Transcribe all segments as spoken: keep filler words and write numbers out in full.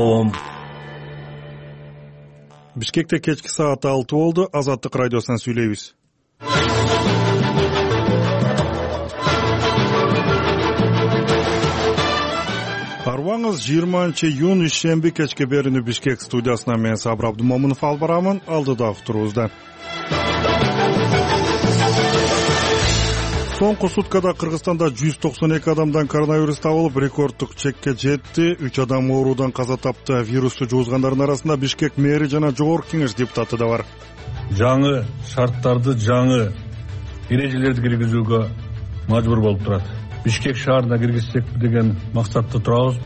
коом. Бишкекте кечки саат алты болду. Азаттык радиосунан сүйлөйбүз. Арбаңыз жыйырманчы июнь ишемби кечке берүүнү Бишкек студиясынан мен Сабыр Абдумомунов алып барамын. Алдыдагы турубузда. Соңку суткада Кыргызстанда жүз токсон эки адамдан коронавирус табылып, рекорддук чекке жетти. үч адам оорудан каза тапты. Вирусту жугузгандардын арасында Бишкек мэри жана жогорку кеңеш депутаты да бар. Жаңы шарттарды, жаңы эрежелерди киргизүүгө мажбур болуп турат. Бишкек шаарына киргизсек деген максатта турабыз.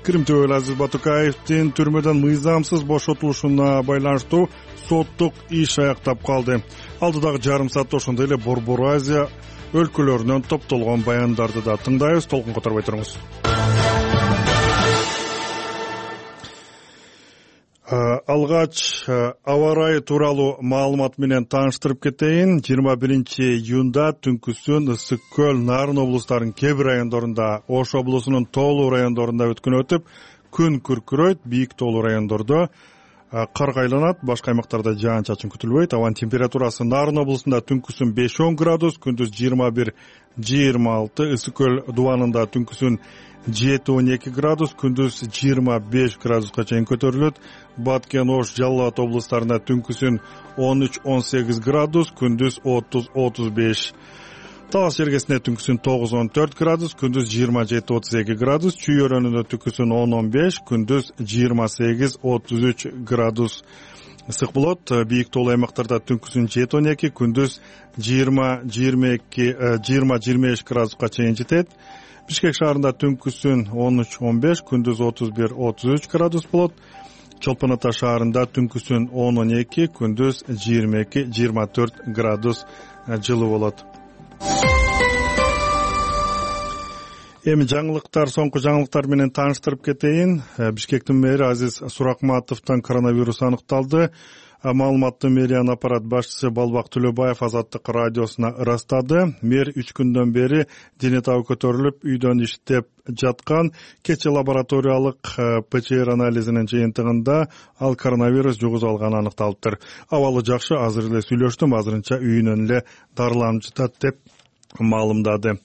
Крим төбөлү Азиз Батукаевдин түрмөдөн мыйзамсыз бошотулушуна байланыштуу соттук иш аяктап калды. Алдыдагы жарым саатта ошондой эле Борбор Азия өлкөлөрүнөн топтолгон баяндарды да тыңдайбыз. Толкун которбой туруңуз. Алгач аба ырайы тууралуу маалымат менен тааныштырып кетейин. жыйырма биринчи июнда түнкүсүн Ысык көл, Нарын облустарынын кээ бир райондорунда, Ош облусунун тоолуу райондорунда өткөн өтүп, күн күркүрөйт. Бийик тоолуу райондордо кар кайланат, башка аймактарда жаан-чачын күтүлбөйт. Абанын температурасы Нарын облусунда түнкүсүн беш он градус, күндүз жыйырма бир жыйырма алты, Ысык көл дубанында түнкүсүн жети он эки градус, күндүз жыйырма беш градуска чейин көтөрүлөт. Баткен, Ош, Жалал Абад облустарында түнкүсүн он үч он сегиз градус, күндүз отуз отуз беш. Талас жергесинде түнкүсүн тогуз он төрт градус, күндүз жыйырма жети отуз эки градус. Чүй өрөөнүндө түнкүсүн он он беш, күндүз жыйырма сегиз отуз үч градус. Ысык болот. Бийик тоолуу аймактарда түнкүсүн жети он эки, күндүз жыйырма жыйырма эки жыйырма жыйырма беш градуска чейин жетет. Бишкек шаарында түнкүсүн он үч он беш, күндүз отуз бир отуз үч градус болот. Чолпон Ата шаарында түнкүсүн он он эки, күндүз жыйырма эки жыйырма төрт градус жылы болот. Эми жаңылыктар, соңку жаңылыктар менен тааныштырып кетейин. Бишкектин мэри Азиз Суракматовдон коронавирус аныкталды. Маалыматты мэриянын аппарат башчысы Балбак Төлөбаев Азаттык радиосуна ырастады. Мэр үч күндөн бери дене табы көтөрүлүп, үйдөн иштеп жаткан. Кечээ лабораториялык ПЦР анализинин жыйынтыгында ал коронавирус жугузуп алганы аныкталыптыр. Абалы жакшы, азыр эле сүйлөштүм, азырынча үйүнөн эле дарыланып жатат деп маалымдады.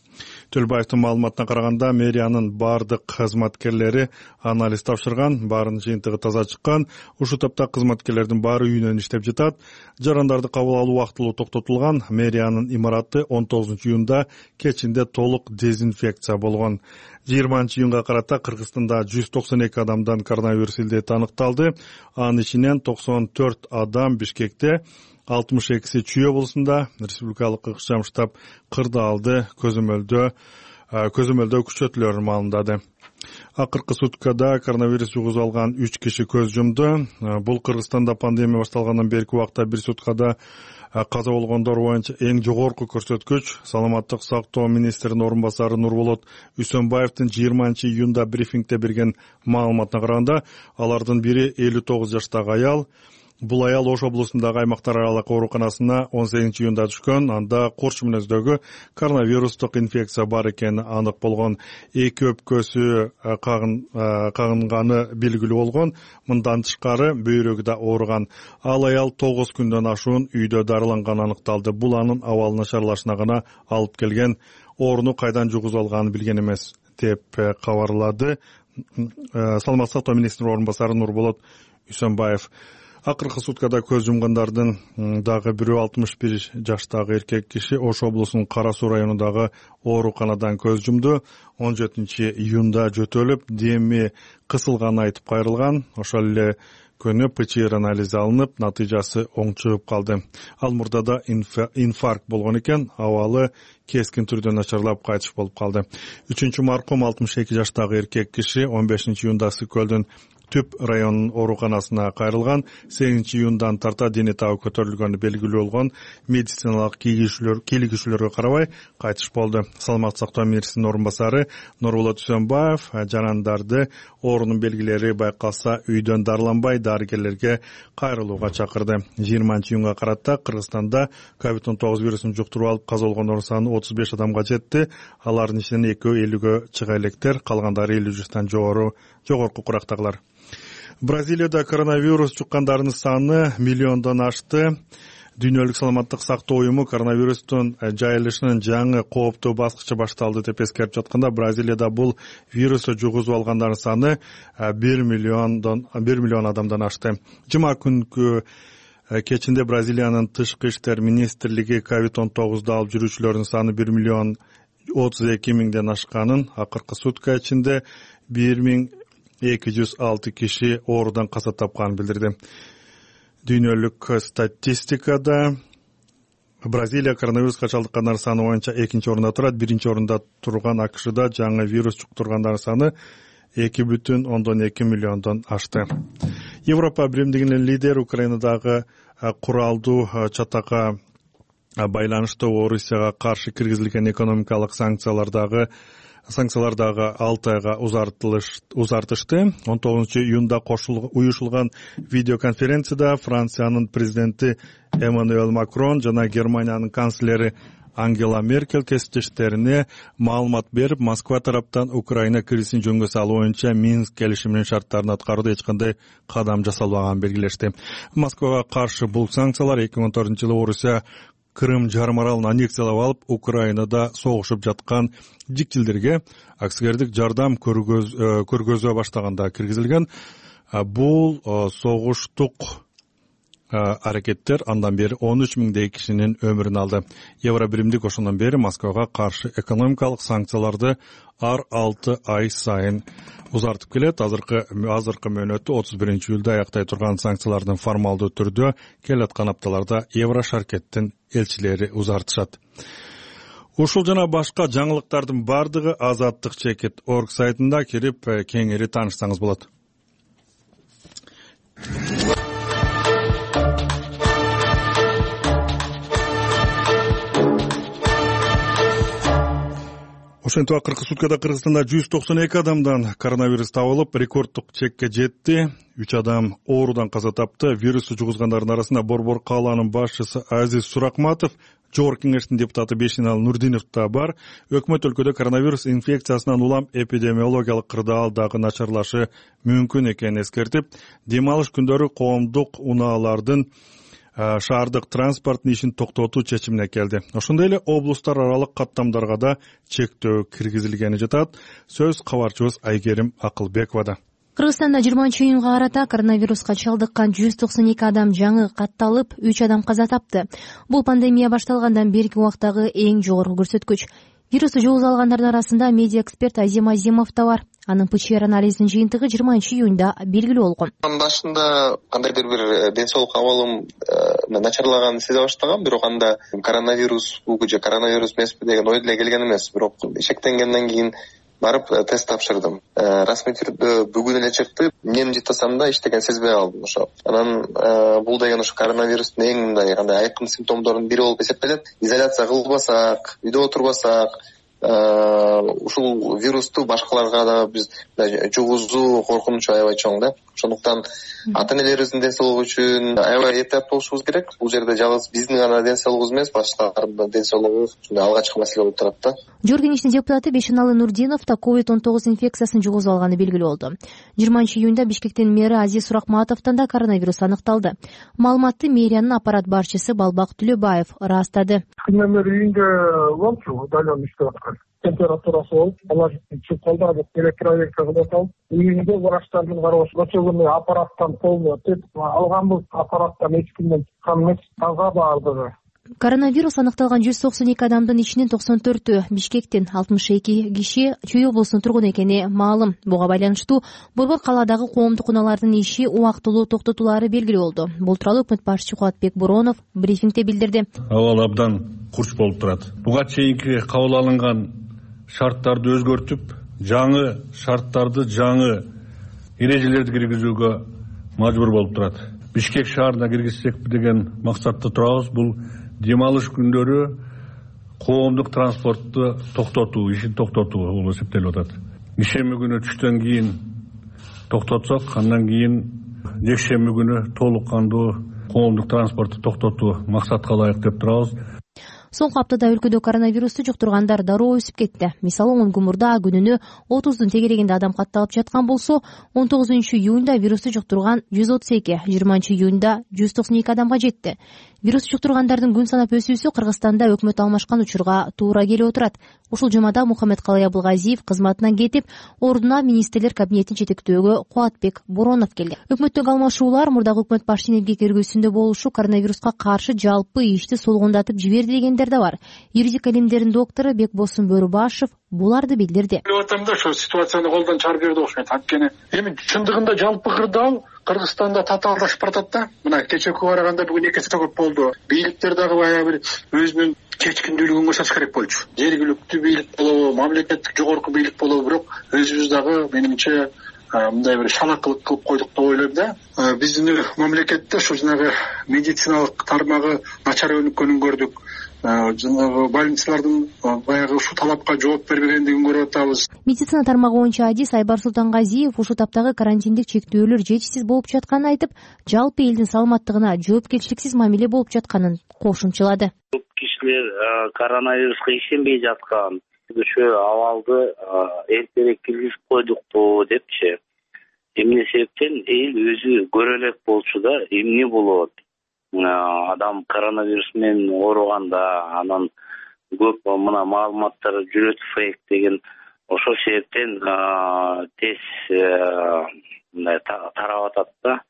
Төлөбаевдин маалыматына караганда, мэриянын бардык кызматкерлери анализ тапшырган, баарынын жыйынтыгы таза чыккан. Ушул топто кызматкерлердин баары үйүнөн иштеп жатат. Жарандарды кабыл алуу убактылуу токтотулган. Мэриянын имараты он тогузунчу июнда кечинде толук дезинфекция болгон. жыйырманчы июнга карата Кыргызстанда жүз токсон эки адамдан коронавирус илдети аныкталды. Анын ичинен токсон төрт адам Бишкекте, алтымыш экиси Чүй облусунда, республикалык ыкчам штаб Кырдаалды көзөмөлдөө көзөмөлдөө күчөтүлөрүн маалымдады. Акыркы суткада коронавирус жугузуп алган үч киши көз жумду. Бул Кыргызстанда пандемия башталгандан берки убакта бир суткада каза болгондор боюнча эң жогорку көрсөткүч. Саламаттык сактоо министринин орун басары Нурболот Үсөнбаевдин жыйырманчы июнда брифингде берген маалыматына караганда, алардын бири элүү тогуз жаштагы аял. Бул аял Ош облусундагы аймактар аралык ооруканасына он сегизинчи июнда түшкөн. Анда курч мүнөздөгү коронавирустук инфекция бар экени анык болгон. Эки өпкөсү кагынганы белгилүү болгон. Мындан тышкары бөйрөгү да ооруган. Ал аял тогуз күндөн ашуун үйдө дарыланганы аныкталды. Бул анын абалы начарлашына гана алып келген. Ооруну кайдан жугузуп алганын билген эмес деп кабарлады Саламаттык сактоо министринин орун басары Нурболот Үсөнбаев. Акыркы суткада көз жумгандардын дагы бирөө алтымыш бир жаштагы эркек киши Ош облусунун Кара Суу районундагы ооруканадан көз жумду. он жетинчи июнда жөтөлүп, деми кысылганын айтып кайрылган. Ошол эле күнү ПЦР анализи алынып, натыйжасы оң чыгып калды. Ал мурдада инфаркт болгон экен, абалы кескин түрдө начарлап кайтыш болуп калды. үчүнчү маркум алтымыш эки жаштагы эркек киши он бешинчи июнда Ысык көлдүн Түп районунун ооруканасына кайрылган. сегизинчи июндан тарта дене табы көтөрүлгөнү белгилүү болгон. Медициналык кийлигишүүлөргө карабай кайтыш болду. Саламаттык сактоо министринин орун басары Нурболот Үсөнбаев жарандарды оорунун белгилери байкалса үйдөн дарыланбай дарыгерлерге кайрылууга чакырды. жыйырманчы июнга карата Кыргызстанда ковид он тогуз вирусун жуктуруп алып каза болгондордун саны отуз беш адамга жетти. Алардын ичинен экөө элүүгө чыга электер, калгандары элүү жаштан жогору жогорку курактагылар. Бразилияда коронавирус жуккандардын саны миллиондон ашты. Дүйнөлүк саламаттык сактоо уюму коронавирустун жайылышынын жаңы кооптуу баскычы башталды деп эскерип жатканда, Бразилияда бул вирусту жугузуп алгандардын саны бир миллиондон бир миллион адамдан ашты. Жума күнкү кечинде Бразилиянын тышкы иштер министрлиги ковид он тогузду алып жүрүүчүлөрдүн саны бир миллион отуз эки миңден ашканын, акыркы сутка ичинде бир миң эки жүз алты киши оорудан каза тапканын билдирди. Дүйнөлүк статистикада Бразилия коронавируска чалдыккандардын саны боюнча экинчи орунда турат. Биринчи орунда турган АКШда жаңы вирус жуктургандардын саны эки бүтүн ондон эки миллиондон ашты. Европа биримдигинин лидери Украинадагы куралдуу чатакка байланыштуу Орусияга каршы киргизилген экономикалык санкциялардагы санкциялардагы алты айга узартышты. он тогузунчу июнда уюшулган видеоконференцияда Франциянын президенти Эммануэль Макрон жана Германиянын канцлери Ангела Меркель кесиптештерине маалымат берип, Москва тараптан Украина кризисин жөнгө салуу боюнча Минск келишиминин шарттарын аткарууда эч кандай кадам жасалбаганын белгилешти. Москвага каршы бул санкциялар эки миң он төртүнчү жылы Орусия Крым жарым аралын аннексиялап алып, Украинада согушуп жаткан жикчилдерге аксигердик жардам көргөзө баштаганда киргизилген. Бул согуштук аракеттер андан бери он үч миңдей кишинин өмүрүн алды. Евро биримдик ошондон бери Москвага каршы экономикалык санкцияларды ар алты ай сайын узартып келет. Азыркы азыркы мөөнөтү отуз биринчи июлда аяктай турган санкциялардын формалдуу түрдө келаткан апталарда Евро шаркеттин элчилери узартышат. Ушул жана башка жаңылыктардын бардыгы азаттык чекит точка орг сайтында кирип кеңири таанышсаңыз болот. Ошентип акыркы суткада Кыргызстанда жүз токсон эки адамдан коронавирус табылып, рекорддук чекке жетти. үч адам оорудан каза тапты. Вирусту жугузгандардын арасында Борбор кааланын башчысы Азиз Суракматов, Жогорку кеңештин депутаты Бешинал Нурдинов да бар. Өкмөт өлкөдө коронавирус инфекциясынан улам эпидемиологиялык кырдаал дагы начарлашы мүмкүн экенин эскертип, дем алыш күндөрү коомдук унаалардын шаардык транспорттун ишин токтотуу чечимине келди. Ошондой эле облустар аралык каттамдарга да чектөө киргизилгени жатат. Сөз кабарчыбыз Айгерим Акылбековада. Кыргызстанда жыйырманчы июнга карата коронавируска чалдыккан жүз токсон эки адам жаңы катталып, үч адам каза тапты. Бул пандемия башталгандан берки убактагы эң жогорку көрсөткүч. Вирусту жугузуп алгандардын арасында медиа эксперт Азим Азимов да бар. Анын ПЧР анализинин жыйынтыгы жыйырманчы июнда белгилүү болгон. Башында кандайдыр бир ден соолук абалым начарлаганын сезе баштагам, бирок анда коронавирусбу же коронавирус эмеспи деген ой деле келген эмес. Бирок шектенгенден кийин барып тест тапшырдым. Расмий түрдө бүгүн эле чыкты. Эмнени жыттасам да иштеген сезбей калдым ошо. Анан бул деген ошо коронавирустун эң мындай кандай айкын симптомдорунун бири болуп эсептелет. Изоляция кылбасак, үйдө отурбасак, ушул вирусту башкаларга да биз жугузуу коркунучу аябай чоң да. Ошондуктан ата-энелерибиздин ден соолугу үчүн аябай эптеп болушубуз керек. Бул жерде жалгыз биздин гана ден соолугубуз эмес, башкалардын да ден соолугу ушундай алгачкы маселе болуп турат да. Жогорку кеңештин депутаты Бешиналы Нурдинов да ковид он тогуз инфекциясын жугузуп алганы белгилүү болду. жыйырманчы июнда Бишкектин мэри Азиз Суракматовдон да коронавирус аныкталды. Маалыматты мэриянын аппарат башчысы Балбак Түлөбаев ырастады. Күнөмөр үйүндө болчу, удален иштеп аткан. Температурасы болуп, алар чыгып калды, электроверка кылып атабыз. Үйүндө врачтардын карабашы лечебный аппараттан полный өтүп, алганбыз аппараттан эч кимден чыккан эмес, таза баардыгы. Коронавирус аныкталган жүз токсон эки адамдын ичинен токсон төртү Бишкектин, алтымыш эки киши Чүй облусунун тургуну экени маалым. Буга байланыштуу Борбор калаадагы коомдук унаалардын иши убактылуу токтотулары белгилүү болду. Бул тууралуу өкмөт башчысы Кубатбек Буронов брифингде билдирди. Абал абдан курч болуп турат. Буга чейинки кабыл алынган шарттарды өзгөртүп, жаңы шарттарды, жаңы эрежелерди киргизүүгө мажбур болуп турат. Бишкек шаарына киргизсекпи деген максатта турабыз. Бул дем алыш күндөрү коомдук транспортту токтотуу, ишин токтотуу болуп эсептелип атат. Ишемби күнү түштөн кийин токтотсок, андан кийин жекшемби күнү толук кандуу коомдук транспортту токтотуу максатка ылайык деп турабыз. Соңку аптада өлкөдө коронавирусту жуктургандар дароо өсүп кетти. Мисалы он күн мурда күнүнө отуздун тегерегинде адам катталып жаткан болсо, он тогузунчу июнда вирусту жуктурган жүз отуз эки, жыйырманчы июнда жүз токсон эки адамга жетти. Вирус жуктургандардын күн санап өсүүсү Кыргызстанда өкмөт алмашкан учурга туура келип отурат. Ушул жумада Мухаммедкалый Абылгазиев кызматынан кетип, ордуна министрлер кабинетин жетектөөгө Кубатбек Боронов келди. Өкмөттөгү алмашуулар мурдагы өкмөт башчынын эмгек эргүүсүндө болушу коронавируска каршы жалпы ишти солгондатып жиберди дегендер да бар. Юридика илимдеринин доктору Бекбосун Бөрүбашев буларды билдирди. Деп атам да, ошо ситуацияны колдон чыгарып берди окшойт. Анткени эми чындыгында жалпы кырдаал Кыргызстанда татаалдашып баратат да. Мына кечеки барганда бүгүн эки эсе көп болду. Бийликтер дагы баягы бир өзүнүн чечкиндүүлүгүн көрсөтүш керек болчу. Жергиликтүү бийлик болобу, мамлекеттик жогорку бийлик болобу, бирок өзүбүз дагы менимче мындай бир шалакылык кылып койдук деп ойлойм да. Биздин мамлекетте ушу жанагы медициналык тармагы начар өнүккөнүн көрдүк. Жанагы больницалардын баягы ушул талапка жооп бербегендигин көрүп атабыз. Медицина тармагы боюнча адис Айбар Султангазиев ушул таптагы карантиндик чектөөлөр жетишсиз болуп жатканын айтып, жалпы элдин саламаттыгына жоопкерчиликсиз мамиле болуп жатканын кошумчалады. Көп кишилер коронавируска ишенбей жаткан, ошо абалды эртерээк киргизип койдукпу депчи. Эмне себептен эл өзү көрө элек болчу да, эмне болот? Адам коронавирус менен ооруганда анан көп мына маалыматтар жүрөт фейк деген, ошол себептен тез мындай тарап атат да.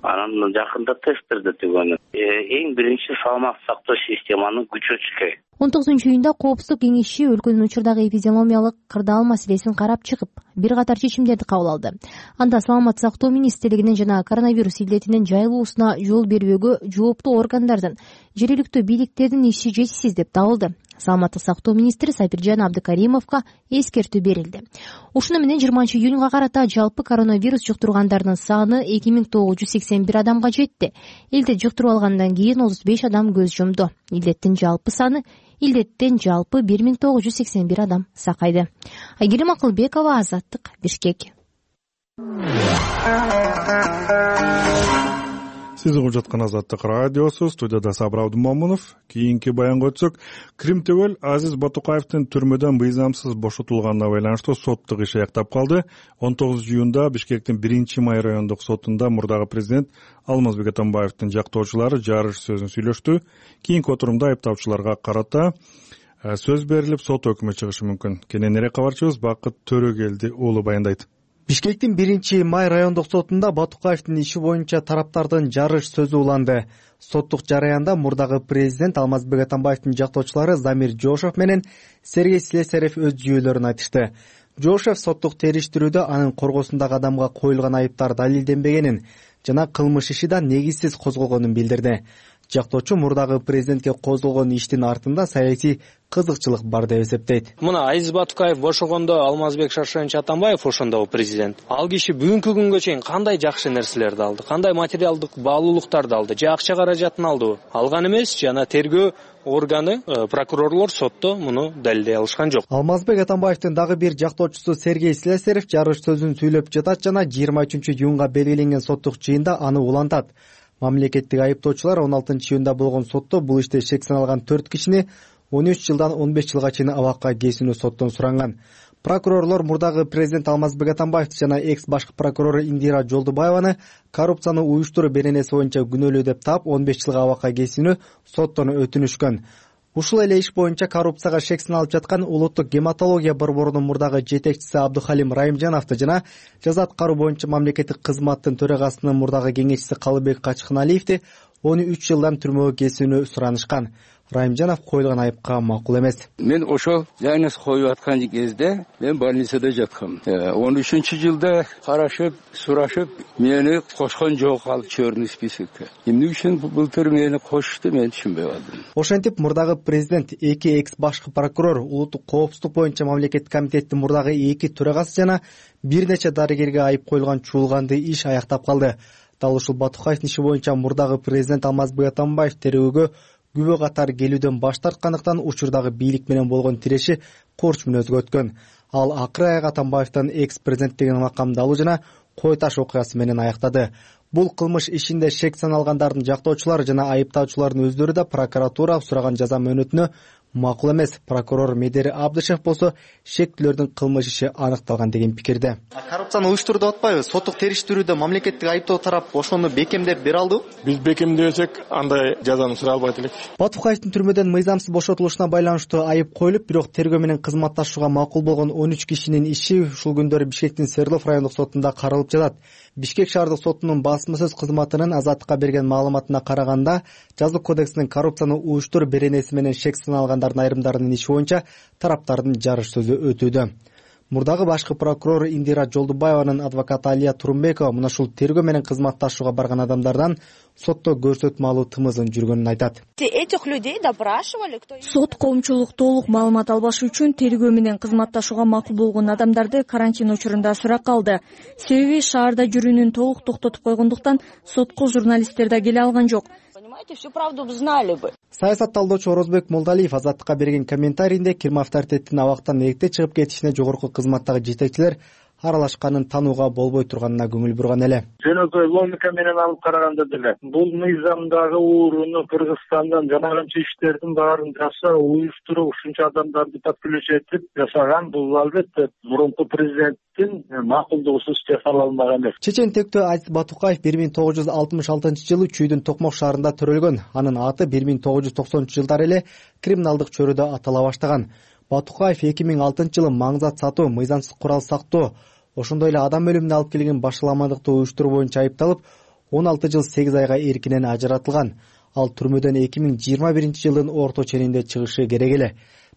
Анан жакында тесттерди түгөнү. Эң биринчи саламат сактоо системаны күчөтүш керек. он тогузунчу июнда Коопсуздук кеңеши өлкөнүн учурдагы эпидемиологиялык кырдаал маселесин карап чыгып, бир катар чечимдерди кабыл алды. Анда саламат сактоо министрлигинин жана коронавирус илдетинин жайылуусуна жол бербөөгө жооптуу органдардын, жергиликтүү бийликтердин иши жетишсиз деп табылды. Саламаттык сактоо министри Сапиржан Абдыкаримовго эскертүү берилди. Ушуну менен жыйырманчы июнга карата жалпы коронавирус жуктургандардын саны эки миң тогуз жүз сексен бир адамга жетти. Илдет жуктуруп алгандан кийин отуз беш адам көз жумду. Илдеттин жалпы саны Илдеттен жалпы бир миң тогуз жүз сексен бир адам сакайды. Айгерим Акылбекова, Азаттык, Бишкек. Сиз угуп жаткан Азаттык радиосу, студияда Сабыр Абдымомунов. Кийинки баянга өтсөк, Крим Төбөл Азиз Батукаевдин түрмөдөн мыйзамсыз бошотулганына байланыштуу соттук иш аяктап калды. он тогузунчу июнда Бишкектин биринчи май райондук сотунда мурдагы президент Алмазбек Атамбаевдин жактоочулары жарыш сөзүн сүйлөштү. Кийинки отурумда айыпталуучуларга карата сөз берилип, сот өкмү чыгышы мүмкүн. Кененирээк кабарчыбыз Бакыт Төрөгелди уулу баяндайт. Бишкектин биринчи май райондук сотунда Батукаевдин иши боюнча тараптардын жарыш сөзү уланды. Соттук жараянда мурдагы президент Алмазбек Атамбаевдин жактоочулары Замир Жошев менен Сергей Слесарев өз жүйөлөрүн айтышты. Жошев соттук териштирүүдө анын коргосундагы адамга коюлган айыптар далилденбегенин жана кылмыш иши да негизсиз козголгонун билдирди. Жактоочу мурдагы президентке козголгон иштин артында саясий кызыкчылык бар деп эсептейт. Мына Азиз Батукаев бошогондо Алмазбек Шаршенович Атамбаев ошондо президент. Ал киши бүгүнкү күнгө чейин кандай жакшы нерселерди алды, кандай материалдык баалуулуктарды алды, же акча каражатын алдыбы? Алган эмес, жана тергөө органы, прокурорлор сотто муну далилдей алышкан жок. Алмазбек Атамбаевдин дагы бир жактоочусу Сергей Слесарев жарыш сөзүн сүйлөп жатат жана жыйырма үчүнчү июнга белгиленген соттук жыйында аны улантат. Мамлекеттик айыптоочулар он алтынчы июнда болгон сотто бул иште шек саналган төрт кишини он үч жылдан он беш жылга чейин абакка кесүүнү соттон суранган. Прокурорлор мурдагы президент Алмазбек Атамбаевди жана экс башкы прокурору Индира Жолдубаеваны коррупцияны уюштуруу беренеси боюнча күнөөлүү деп таап он беш жылга абакка кесүүнү соттон өтүнүшкөн. Ушул эле иш боюнча коррупцияга шек саналып жаткан улуттук гематология борборунун мурдагы жетекчиси Абдухалим Райымжановду жана жаза аткаруу боюнча мамлекеттик кызматтын төрагасынын мурдагы кеңешчиси Калыбек Качкыналиевди он үч жылдан түрмөгө кесүүнү суранышкан. Райымжанов коюлган айыпка макул эмес. Мен ошол диагноз коюп аткан кезде мен больницада жаткам. он үчүнчү жылда карашып, сурашып, мени кошкон жок ал черный списокко. Эмне үчүн былтыр мени кошту, мен түшүнбөй калдым. Ошентип мурдагы президент, эки экс башкы прокурор, улуттук коопсуздук боюнча мамлекеттик комитеттин мурдагы эки төрагасы жана бир нече дарыгерге айып коюлган чуулганды иш аяктап калды. Дал ушул Батукаевдин иши боюнча мурдагы президент Алмазбек Атамбаев терөөгө күбө катар келүүдөн баш тарткандыктан учурдагы бийлик менен болгон тиреши корч мүнөзгө өткөн. Ал акыры аяк Атамбаевден экс президент деген макамды алуу жана кой таш окуясы менен аяктады. Бул кылмыш ишинде шек саналгандардын жактоочулары жана айыптаучулардын өздөрү да прокуратура сураган жаза мөөнөтүнө макул эмес. Прокурор Медери Абдышев болсо шектүүлөрдүн кылмыш иши аныкталган деген пикирде. Коррупцияны уюштурду деп атпайбы? Соттук териштирүүдө мамлекеттик айыптоо тарап ошону бекемдеп бере алдыбы? Биз бекемдебесек андай жазаны сурай албайт элек. Батукаевдин түрмөдөн мыйзамсыз бошотулушуна байланыштуу айып коюлуп, бирок тергөө менен кызматташууга макул болгон он үч кишинин иши ушул күндөрү Бишкектин Свердлов райондук сотунда каралып жатат. Бишкек шаардык сотунун басмасөз кызматынын Азаттыкка берген маалыматына караганда, жазык кодексинин коррупцияны уюштуруп беренеси менен шек саналгандардын айрымдарынын иши боюнча тараптардын жарыш сөзү өтүүдө. Мурдагы башкы прокурор Индира Жолдубаеванын адвокаты Алия Турумбекова мына ушул тергөө менен кызматташууга барган адамдардан сотто көрсөтмө алуу тымызын жүргөнүн айтат. Сот коомчулук толук маалымат албашы үчүн тергөө менен кызматташууга макул болгон адамдарды карантин учурунда суракка алды. Себеби шаарда жүрүүнүн толук токтотуп койгондуктан сотко журналисттер да келе алган жок. Всю правду бы знали бы. Саясат талдоочу Орозбек Молдалиев Азаттыкка берген комментарийинде Кирим авторитеттин абактан эрте чыгып кетишине жогорку кызматтагы жетекчилер аралашканын таанууга болбой турганына көңүл бурган эле. Жөнөкөй логика менен алып караганда деле бул мыйзамдагы ууруну Кыргызстандан жана канча иштердин баарын жаса, уюштуруп ушунча адамдарды подключ этип жасаган, бул албетте мурунку президенттин макулдугусуз жасала алмаган эмес. Чечен тектөө Азиз Батукаев бир миң тогуз жүз алтымыш алтынчы жылы Чүйдүн Токмок шаарында төрөлгөн. Анын аты бир миң тогуз жүз токсонунчу жылдары эле криминалдык чөйрөдө атала баштаган. Батукаев эки миң алтынчы жылы маңзат сатуу, мыйзамсыз курал сактоо, ошондой эле адам өлүмүнө алып келген башаламандыкты уюштуруу боюнча айыпталып, он алты жыл сегиз айга эркинен ажыратылган. Ал түрмөдөн эки миң жыйырма биринчи жылдын орто ченинде чыгышы керек эле.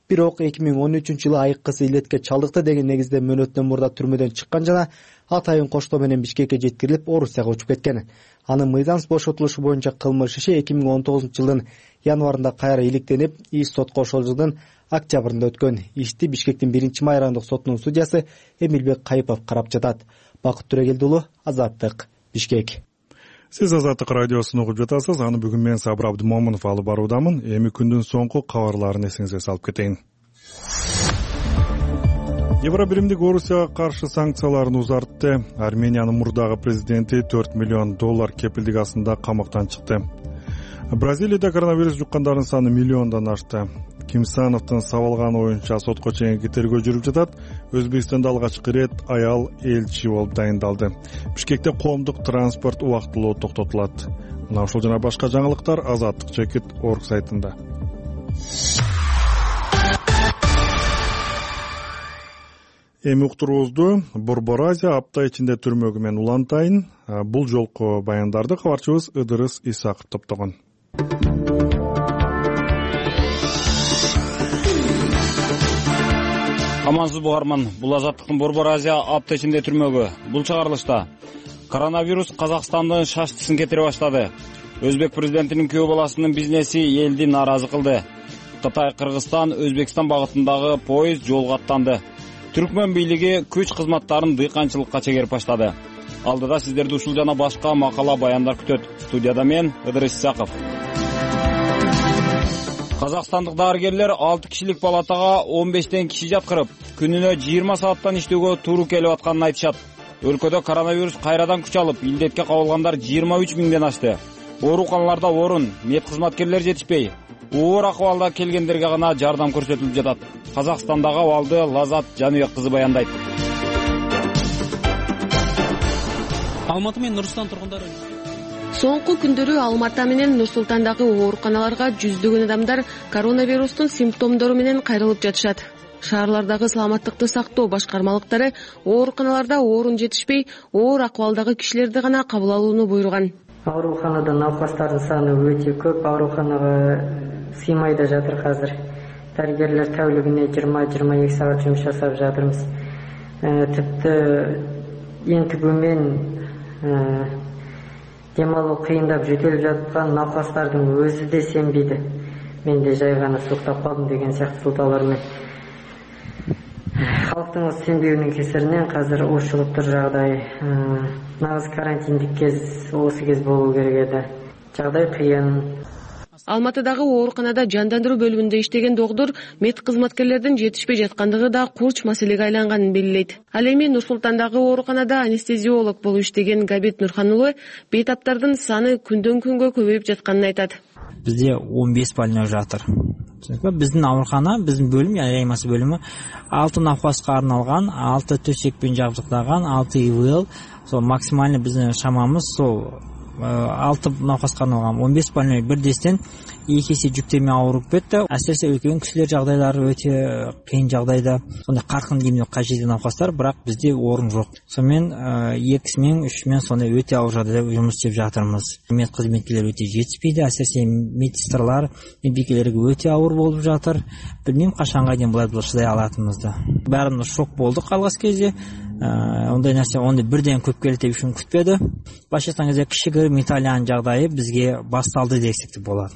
Бирок эки миң он үчүнчү жылы айыккысы илетке чалдыкты деген негизде мөөнөттөн мурда түрмөдөн чыккан жана атайын коштоо менен Бишкекке жеткирилип, Орусияга учуп кеткен. Анын мыйзамсыз бошотулушу боюнча кылмыш иши эки миң он тогузунчу жылдын январында кайра иликтенип, иш сотко ошол жылдын октябрында өткөн. Ишти Бишкектин биринчи май райондук сотунун судьясы Эмилбек Кайыпов карап жатат. Бакыт Түрегелди уулу, Азаттык, Бишкек. Сиз Азаттык радиосун угуп жатасыз. Аны бүгүн мен Сабыр Абдымомунов алып баруудамын. Эми күндүн соңку кабарларын эсиңизге салып кетейин. Евробиримдик Орусияга каршы санкцияларын узартты. Армениянын мурдагы президенти төрт миллион доллар кепилдик астында камактан чыкты. Бразилияда коронавирус жуккандардын саны миллиондон ашты. Кимсановдун сабалганы боюнча сотко чейинки тергөө жүрүп жатат. Өзбекстанда алгачкы ирет аял элчи болуп дайындалды. Бишкекте коомдук транспорт убактылуу токтотулат. Мына ушул жана башка жаңылыктар азаттык чекит точка орг сайтында. Эми уктуруубузду Борбор Азия апта ичинде түрмөгү менен улантайын. Бул жолку баяндарды кабарчыбыз Ыдырыс Исаков топтогон. Амансыз угарман, бул Азаттыктын Борбор Азия апта ичинде түрмөгү. Бул чыгарылышта коронавирус Казакстандын шаштысын кетире баштады. Өзбек президентинин күйөө баласынын бизнеси элди нааразы кылды. Кытай, Кыргызстан, Өзбекстан багытындагы поезд жолго аттанды. Түркмөн бийлиги күч кызматтарын дыйканчылыкка чегерип баштады. Алдыда сиздерди ушул жана башка макала баяндар күтөт. Студияда мен Ыдырыс Исаков. Казакстандык дарыгерлер алты кишилик палатага он бештен киши жаткырып, күнүнө жыйырма сааттан иштөөгө туура келип атканын айтышат. Өлкөдө коронавирус кайрадан күч алып, илдетке кабылгандар жыйырма үч миңден ашты. Ооруканаларда орун, мед кызматкерлер жетишпей, оор акыбалда келгендерге гана жардам көрсөтүлүп жатат. Казакстандагы абалды Лазат Жаныбек кызы баяндайт. Алматы менен Нур-Султан тургундары Соңку күндөрү Алматы менен Нур-Султандагы ооруканаларга жүздөгөн адамдар коронавирустун симптомдору менен кайрылып жатышат. Шаарлардагы саламаттыкты сактоо башкармалыктары ооруканаларда орун жетишпей, оор акыбалдагы кишилерди гана кабыл алууну буйруган. Ооруканада науқастардын саны өтө көп, ооруканага сыймай да жатыр казыр. Дарыгерлер тәулүгүнө жыйырма жыйырма эки саат жумуш жасап жатырбыз. Типти энтигүүмен дем алуу кыйындап жөтөлүп жаткан науқастардын өзү де сенбейди. Мен де жай гана суктап калдым деген сыяктуу сылтаалар менен. Халктын сенбеүүнүн кесиринен казыр ушулуптур жагдай. Нагыз карантиндик кез осы кез болуу керек эди. Жагдай кыйын. Алматыдагы ооруканада жандандыруу бөлүмүндө иштеген доктур мед кызматкерлердин жетишпей жаткандыгы да курч маселеге айланганын белгилейт. Ал эми Нур-Султандагы ооруканада анестезиолог болуп иштеген Габит Нурхан уулу бейтаптардын саны күндөн күнгө көбөйүп жатканын айтат. Бизде он беш больной жатыр. Биздин оорукана, биздин бөлүм, реанимация бөлүмү алты науқаска арналган, алты төсекпен жабдыкталган, алты и вэ эл. Сол максимально биздин шамамыз сол алты науқаска арналган он беш больной бирдестен эки эсе жүктөмө ауырып кетти. Әсіресе үлкен кишилер жагдайлары өтө кыйын жагдайда, сондай каркын эмне кажет науқастар, бирок бизде орун жок. Сонымен эки мен, үч мен сондай өтө ауыр жагдайда жумуш иштеп жатырмыз. Мед кызметкерлери өтө жетишпейди, әсіресе медсестрлар, медбикелерге өтө ауыр болуп жатыр. Билмейм качанга чейин булай чыдай алатыныбызды. Баарыбыз шок болдук алгачкы кезде. Ондай нерсе ондай бирден көп келет деп ушун күтпөдү. Башкачан кезде кишигирим Италиянын жагдайы бизге башталды десек болот.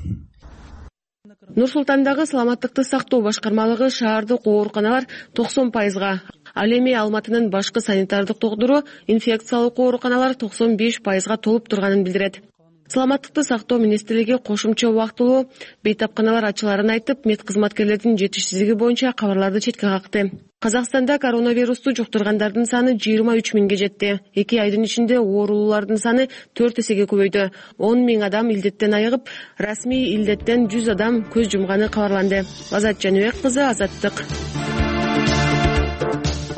Нур-Султандагы саламаттыкты сактоо башкармалыгы шаардык ооруканалар токсон пайызга, ал эми Алматынын башкы санитардык доктуру инфекциялык ооруканалар токсон беш пайызга толуп турганын билдирет. Саламаттыкты сактоо министрлиги кошумча убактылуу бейтапканалар ачыларын айтып, мед кызматкерлердин жетишсиздиги боюнча кабарларды четке какты. Казакстанда коронавирусту жуктургандардын саны жыйырма үч миңге жетти. эки айдын ичинде оорулуулардын саны төрт эсеге көбөйдү. он миң адам илдеттен айыгып, расмий илдеттен жүз адам көз жумганы кабарланды. Азат Жаныбек кызы, Азаттык.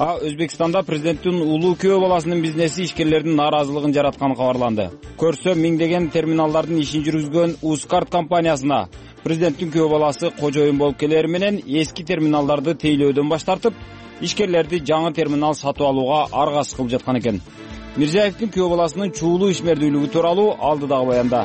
А Өзбекстанда президенттин улуу күйөө баласынын бизнеси ишкерлердин нааразылыгын жаратканы кабарланды. Көрсө миңдеген терминалдардын ишин жүргүзгөн Ускарт компаниясына президенттин күйөө баласы кожоюн болуп келери менен эски терминалдарды тейлөөдөн баш тартып, ишкерлерди жаңы терминал сатып алууга аргасыз кылып жаткан экен. Мирзиевдин күйөө баласынын чуулуу ишмердүүлүгү тууралуу алдыдагы баянда.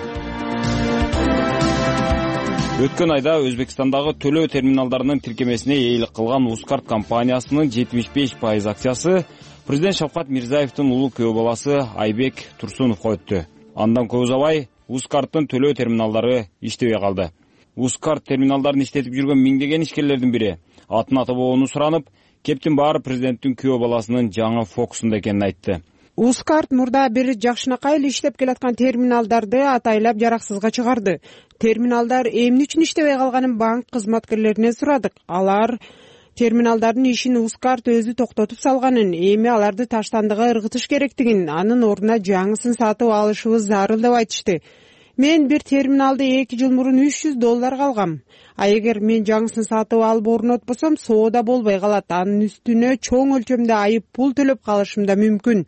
Өткөн айда Өзбекстандагы төлөө терминалдарынын тиркемесине эйлик кылган Ускарт компаниясынын жетимиш беш пайыз акциясы президент Шавкат Мирзиевдин улуу күйөө баласы Айбек Турсуновго өттү. Андан көп узабай Ускарттын төлөө терминалдары иштебей калды. Ускарт терминалдарын иштетип жүргөн миңдеген ишкерлердин бири атын ата бабоону суранып, кептин баары президенттин күйөө баласынын жаңы фокусунда экенин айтты. Ускарт мурда бир жакшынакай эле иштеп келаткан терминалдарды атайлап жараксызга чыгарды. Терминалдар эмне үчүн иштебей калганын банк кызматкерлерине сурадык. Алар терминалдардын ишин Ускарт өзү токтотуп салганын, эми аларды таштандыга ыргытыш керектигин, анын ордуна жаңысын сатып алышыбыз зарыл деп айтышты. Мен бир терминалды эки жыл мурун үч жүз долларга алгам. А эгер мен жаңысын сатып алып орнотпосом, соода болбой калат. Анын үстүнө чоң өлчөмдө айып пул төлөп калышым да мүмкүн.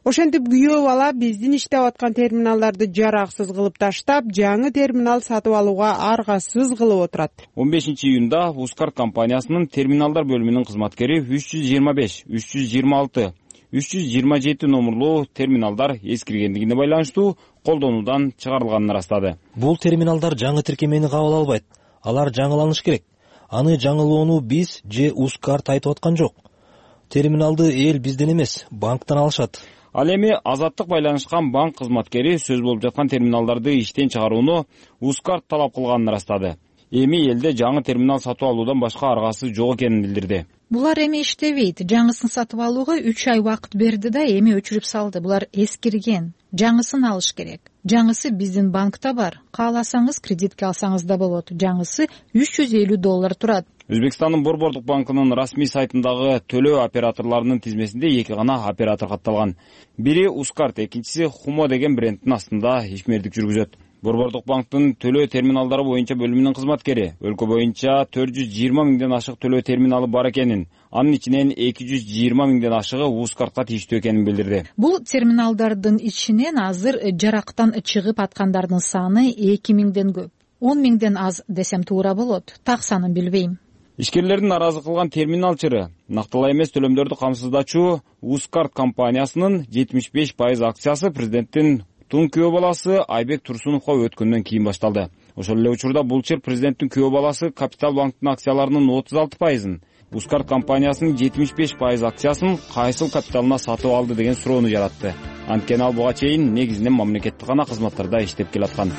Ошентип күйөө бала биздин иштеп аткан терминалдарды жараксыз кылып таштап, жаңы терминал сатып алууга аргасыз кылып отурат. он бешинчи июнда Ускарт компаниясынын терминалдар бөлүмүнүн кызматкери үч жүз жыйырма беш, үч жүз жыйырма алты, үч жүз жыйырма жети номерлуу терминалдар эскиргендигине байланыштуу колдонуудан чыгарылганын ырастады. Бул терминалдар жаңы тиркемени кабыл албайт. Алар жаңыланыш керек. Аны жаңылоону биз же Ускарт айтып аткан жок. Терминалды эл бизден эмес, банктан алышат. Ал эми азаттык байланышкан банк кызматкери сөз болуп жаткан терминалдарды иштен чыгарууну Ускарт талап кылганын ырастады. Эми элде жаңы терминал сатып алуудан башка аргасы жок экенин билдирди. Булар эми иштебейт. Жаңысын сатып алууга үч ай убакыт берди да эми өчүрүп салды. Булар эскирген. Жаңысын алыш керек. Жаңысы биздин банкта бар. Кааласаңыз кредитке алсаңыз да болот. Жаңысы үч жүз элүү доллар турат. Өзбекстандын Борбордук банкынын расмий сайтындагы төлөө операторлорунун тизмесинде эки гана оператор катталган. Бири Ускарт, экинчиси Хумо деген брендтин астында ишмердик жүргүзөт. Борбордук банктын төлөө терминалдары боюнча бөлүмүнүн кызматкери өлкө боюнча төрт жүз жыйырма миңден ашык төлөө терминалы бар экенин, анын ичинен эки жүз жыйырма миңден ашыгы Ускартка тийиштүү экенин билдирди. Бул терминалдардын ичинен азыр жарактан чыгып аткандардын саны эки миңден көп. он миңден аз десем туура болот. Так санын билбейм. Ишкерлердин наразы кылган терминал чыры нактылай эмес төлөмдөрдү камсыздачуу Ускарт компаниясынын жетимиш беш пайыз акциясы президенттин тун күйөө баласы Айбек Турсуновго өткөндөн кийин башталды. Ошол эле учурда бул чыр президенттин күйөө баласы Капитал банктын акцияларынын отуз алты пайызын, Ускарт компаниясынын жетимиш беш пайыз акциясын кайсыл капиталына сатып алды деген суроону жаратты. Анткени ал буга чейин негизинен мамлекеттик гана кызматтарда иштеп келаткан.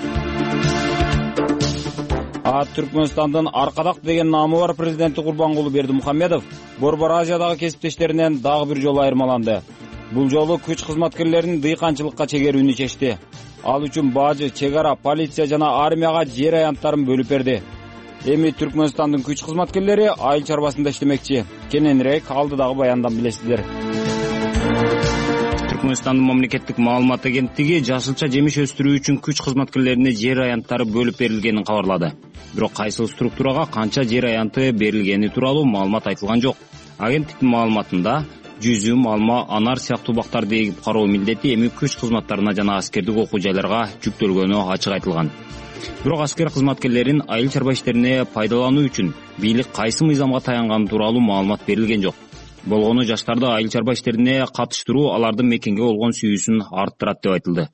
А Түркмөнстандын Аркадак деген наамы бар президенти Курбангулы Бердимухамедов Борбор Азиядагы кесиптештеринен дагы бир жолу айырмаланды. Бул жолу күч кызматкерлерин дыйканчылыкка чегерүүнү чечти. Ал үчүн бажы, чек ара, полиция жана армияга жер аянттарын бөлүп берди. Эми Түркмөнстандын күч кызматкерлери айыл чарбасында иштемекчи. Кененирээк алдыдагы баяндан билесиздер. Түркмөнстандын мамлекеттик маалымат агенттиги жашылча жемиш өстүрүү үчүн күч кызматкерлерине жер аянттары бөлүп берилгенин кабарлады. Бирок кайсыл структурага канча жер аянты берилгени тууралуу маалымат айтылган жок. Агенттиктин маалыматында жүзүм, алма, анар сыяктуу бактарды эгип кароо милдети эми күч кызматтарына жана аскердик окуу жайларга жүктөлгөнү ачык айтылган. Бирок аскер кызматкерлерин айыл чарба иштерине пайдалануу үчүн бийлик кайсы мыйзамга таянганы тууралуу маалымат берилген жок. Болгону жаштарды айыл чарба иштерине катыштыруу алардын мекенге болгон сүйүүсүн арттырат деп айтылды.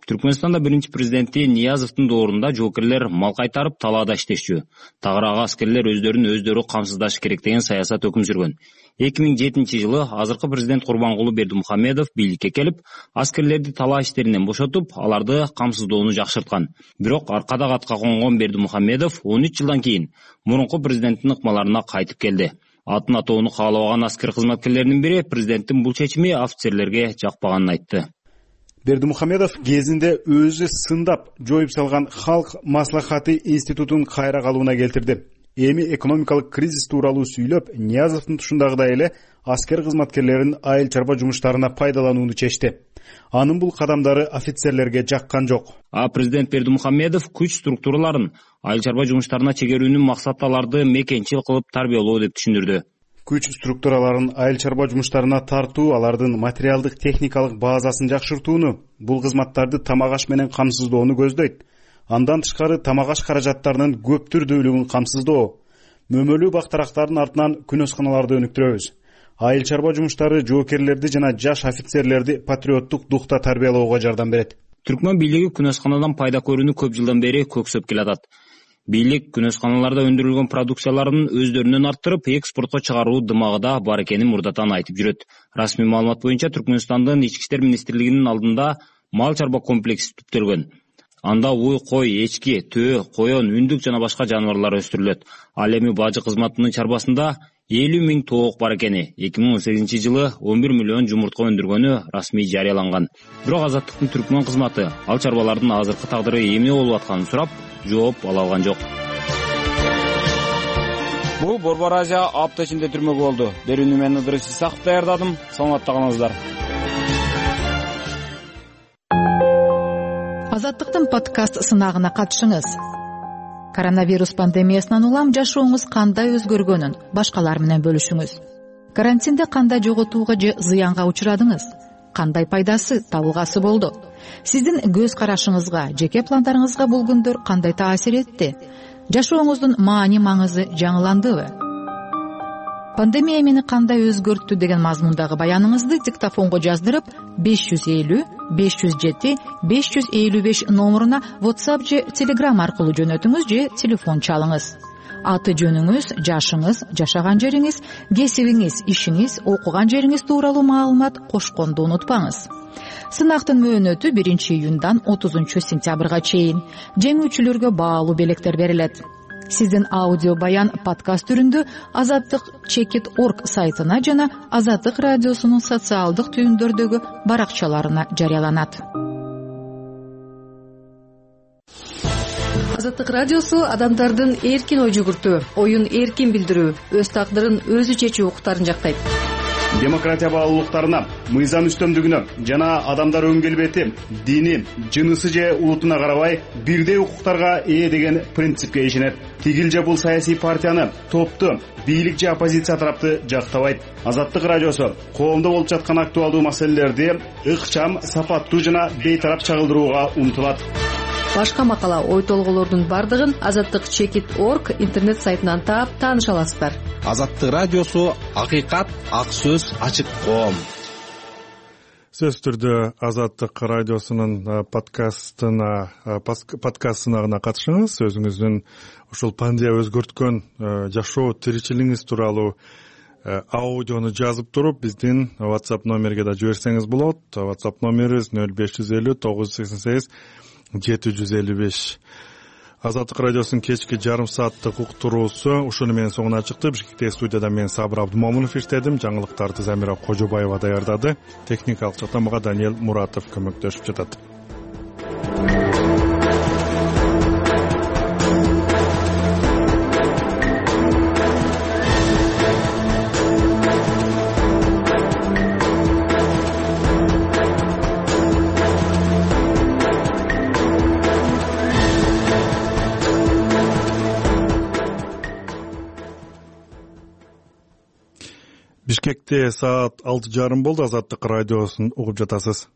Түркмөнстанда биринчи президенти Ниязовдун доорунда жоокерлер мал кайтарып талаада иштешчү. Тагыраагы аскерлер өздөрүн өздөрү камсыздашы керек деген саясат өкүм сүргөн. эки миң жетинчи жылы азыркы президент Курбангулы Бердимухамедов бийликке келип, аскерлерди талаа иштеринен бошотуп, аларды камсыздоону жакшырткан. Бирок аркада катка конгон Бердимухамедов он үч жылдан кийин мурунку президенттин ыкмаларына кайтып келди. Атын атоону каалабаган аскер кызматкерлеринин бири президенттин бул чечими офицерлерге жакпаганын айтты. Бердимухамедов кезинде өзү сындап жоюп салган Халк маслахаты институтун кайра калууна келтирди. Эми экономикалык кризис тууралуу сүйлөп, Ниязовдун тушундагыдай эле аскер кызматкерлерин айыл чарба жумуштарына пайдаланууну чечти. Анын бул кадамдары офицерлерге жаккан жок. А президент Бердимухамедов күч структураларын айыл чарба жумуштарына чегерүүнүн максаты аларды мекенчил кылып тарбиялоо деп түшүндүрдү. Күч структураларын айыл чарба жумуштарына тартуу, алардын материалдык техникалык базасын жакшыртууну, бул кызматтарды тамак аш менен камсыздоону көздөйт. Андан тышкары тамак аш каражаттарынын көп түрдүүлүгүн камсыздоо. Мөмөлүү бактарактардын артынан күнөсканаларды өнүктүрөбүз. Айыл чарба жумуштары жоокерлерди жана жаш офицерлерди патриоттук духта тарбиялоого жардам берет. Түркмөн бийлиги күнөсканадан пайда көрүүнү көп жылдан бери көксөп келатат. Бийлик күнөсканаларда өндүрүлгөн продукцияларын өздөрүнөн арттырып, экспортко чыгаруу дымагыда бар экенин мурдатан айтып жүрөт. Расмий маалымат боюнча Түркмөнстандын ички иштер министрлигинин алдында мал чарба комплекси түптөлгөн. Анда уй, кой, эчки, төө, коён, үндүк жана башка жаныбарлар өстүрүлөт. Ал эми бажы кызматынын чарбасында элүү миң тоок бар экени, эки миң он сегизинчи жылы он бир миллион жумуртка өндүргөнү расмий жарыяланган. Бирок Азаттыктын Түркмөн кызматы ал чарбалардын азыркы тагдыры эмне болуп атканын сурап, жооп ала алган жок. Бул Борбор Азия апта ичинде түрмөгү болду. Берүүнү мен Ыдырыс Исаков даярдадым. Саламатта калыңыздар. Азаттыктын подкаст сынагына катышыңыз. Коронавирус пандемиясынан улам жашооңуз кандай өзгөргөнүн башкалар менен бөлүшүңүз. Карантинде кандай жоготууга же зыянга учурадыңыз? Кандай пайдасы, табылгасы болду? Сиздин көз карашыңызга, жеке пландарыңызга бул күндөр кандай таасир этти? Жашооңуздун маани маңызы жаңыландыбы? Пандемия мени кандай өзгөрттү деген мазмундагы баяныңызды диктофонго жаздырып беш жүз элүү беш жүз жети беш жүз элүү беш номуруна WhatsApp же Telegram аркылуу жөнөтүңүз же телефон чалыңыз. Аты жөнүңүз, жашыңыз, жашаган жериңиз, кесибиңиз, ишиңиз, окуган жериңиз тууралуу маалымат кошконду унутпаңыз. Сынактын мөөнөтү биринчи июндан отузунчу сентябрга чейин. Жеңүүчүлөргө баалуу белектер берилет. Сиздин аудио баян подкаст түрүндө Азаттык чекит точка орг сайтына жана Азаттык радиосунун социалдык түйүндөрдөгү баракчаларына жарыяланат. Азаттык радиосу адамдардын эркин ой жүгүртүү, оюн эркин билдирүү, өз тагдырын өзү чечүү укуктарын жактайт. Демократия баалуулуктарына, мыйзам үстөмдүгүнө жана адамдар өң келбети, дини, жынысы же улутуна карабай бирдей укуктарга ээ деген принципке ишенет. Тигил же бул саясий партияны, топту, бийлик же оппозиция тарапты жактабайт. Азаттык радиосу коомдо болуп жаткан актуалдуу маселелерди ыкчам, сапаттуу жана бейтарап чагылдырууга умтулат. Башка макала, ой толголордун бардыгын Азаттык чекит точка орг интернет сайтынан таап тааныша аласыздар. Азаттык радиосу акыйкат, ак сөз, ачык коом. Сөзсүз түрдө Азаттык радиосунун подкастына подкаст сынагына катышыңыз. Өзүңүздүн ушул пандемия өзгөрткөн жашоо тиричилигиңиз тууралуу аудиону жазып туруп биздин WhatsApp номерге да жиберсеңиз болот. WhatsApp номерибиз нөл беш жүз элүү тогуз жүз сексен сегиз жети жүз элүү беш. Азаттык радиосунун кечки жарым сааттык уктуруусу ушуну менен соңуна чыкты. Бишкектеги студияда мен Сабыр Абдумомунов иштедим. Жаңылыктарды Замира Кожобаева даярдады. Техникалык жактан мага Даниэл Муратов көмөктөшүп жатат. Бишкекте саат алты жарым болду. Азаттык радиосун угуп жатасыз.